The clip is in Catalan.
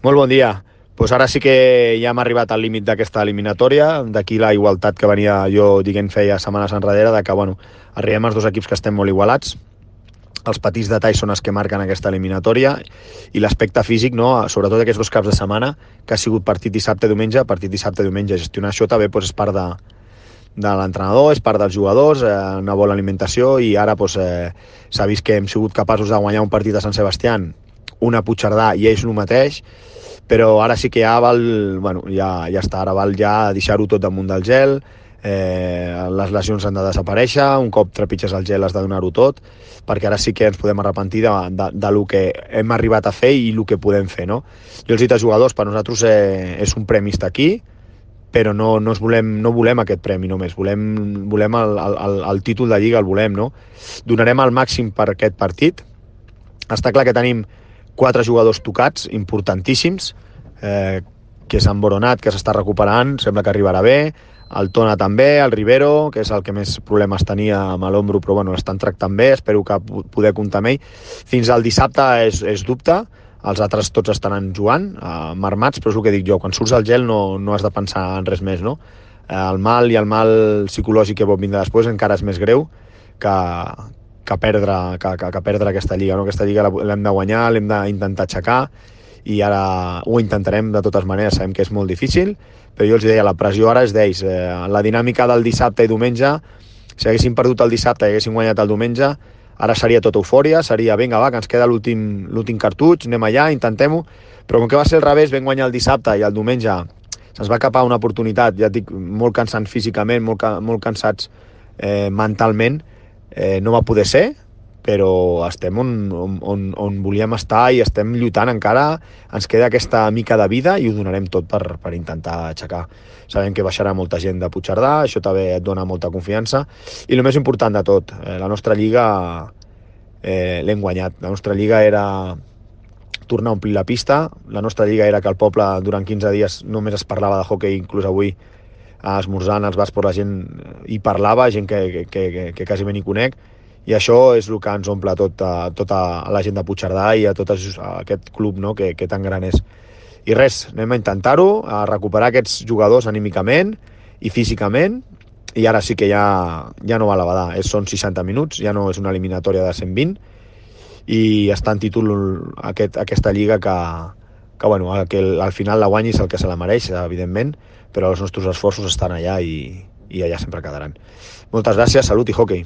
Molt bon dia. Pues ara sí que ja hem arribat al límit d'aquesta eliminatòria, d'aquí la igualtat que venia jo dient feia setmanes enrere, de que arribem als dos equips que estem molt igualats. Els petits detalls són els que marquen aquesta eliminatòria i l'aspecte físic, no? Sobretot aquests dos caps de setmana, que ha sigut partit dissabte-diumenge, gestionar això també és part de l'entrenador, és part dels jugadors, una bona alimentació, i ara s'ha vist que hem sigut capaços de guanyar un partit a Sant Sebastián, una a Puigcerdà i ells el mateix, però ara sí que ja val, ja està, ara val ja deixar-ho tot damunt del gel, les lesions han de desaparèixer, un cop trepitges el gel has de donar-ho tot, perquè ara sí que ens podem arrepentir de lo que hem arribat a fer i el que podem fer, no? Jo els he dit als jugadors, per nosaltres és un premi estar aquí, però no volem aquest premi només, volem el títol de Lliga, el volem, no? Donarem el màxim per aquest partit. Està clar que tenim 4 jugadors tocats, importantíssims, que és en Boronat, que s'està recuperant, sembla que arribarà bé, el Tona també, el Rivero, que és el que més problemes tenia amb l'ombro, però l'estan tractant bé, espero que poder comptar amb ell. Fins al dissabte és dubte, els altres tots estaran jugant, marmats, però és el que dic jo, quan surts al gel no has de pensar en res més, no? El mal psicològic que pot vindre després encara és més greu que perdre aquesta Lliga, no? Aquesta Lliga l'hem de guanyar, l'hem d'intentar aixecar, i ara ho intentarem de totes maneres, sabem que és molt difícil, però jo els deia, la pressió ara és d'ells, la dinàmica del dissabte i diumenge, si haguéssim perdut el dissabte i haguéssim guanyat el diumenge, ara seria tota eufòria, seria vinga va, que ens queda l'últim cartutx, anem allà, intentem-ho, però com que va ser al revés, vam guanyar el dissabte i el diumenge se'ns va capar una oportunitat, ja et dic, molt cansant físicament, molt cansats mentalment, no va poder ser, però estem on volíem estar i estem lluitant encara, ens queda aquesta mica de vida i ho donarem tot per intentar aixecar. Sabem que baixarà molta gent de Puigcerdà, això també et dona molta confiança, i el més important de tot, la nostra Lliga l'hem guanyat. La nostra Lliga era tornar a omplir la pista, la nostra Lliga era que el poble durant 15 dies només es parlava de hoquei, inclús avui esmorzant als bars, per la gent hi parlava, gent que quasi bé n'hi conec, i això és el que ens omple tota la gent de Puigcerdà i a tot aquest club, no? que tan gran és. I res, anem a intentar-ho, a recuperar aquests jugadors anímicament i físicament, i ara sí que ja no va a la badar, són 60 minuts, ja no és una eliminatòria de 120, i està en títol aquesta Lliga que al final la guanyi és el que se la mereix, evidentment, però els nostres esforços estan allà i allà sempre quedaran. Moltes gràcies, salut i hoquei.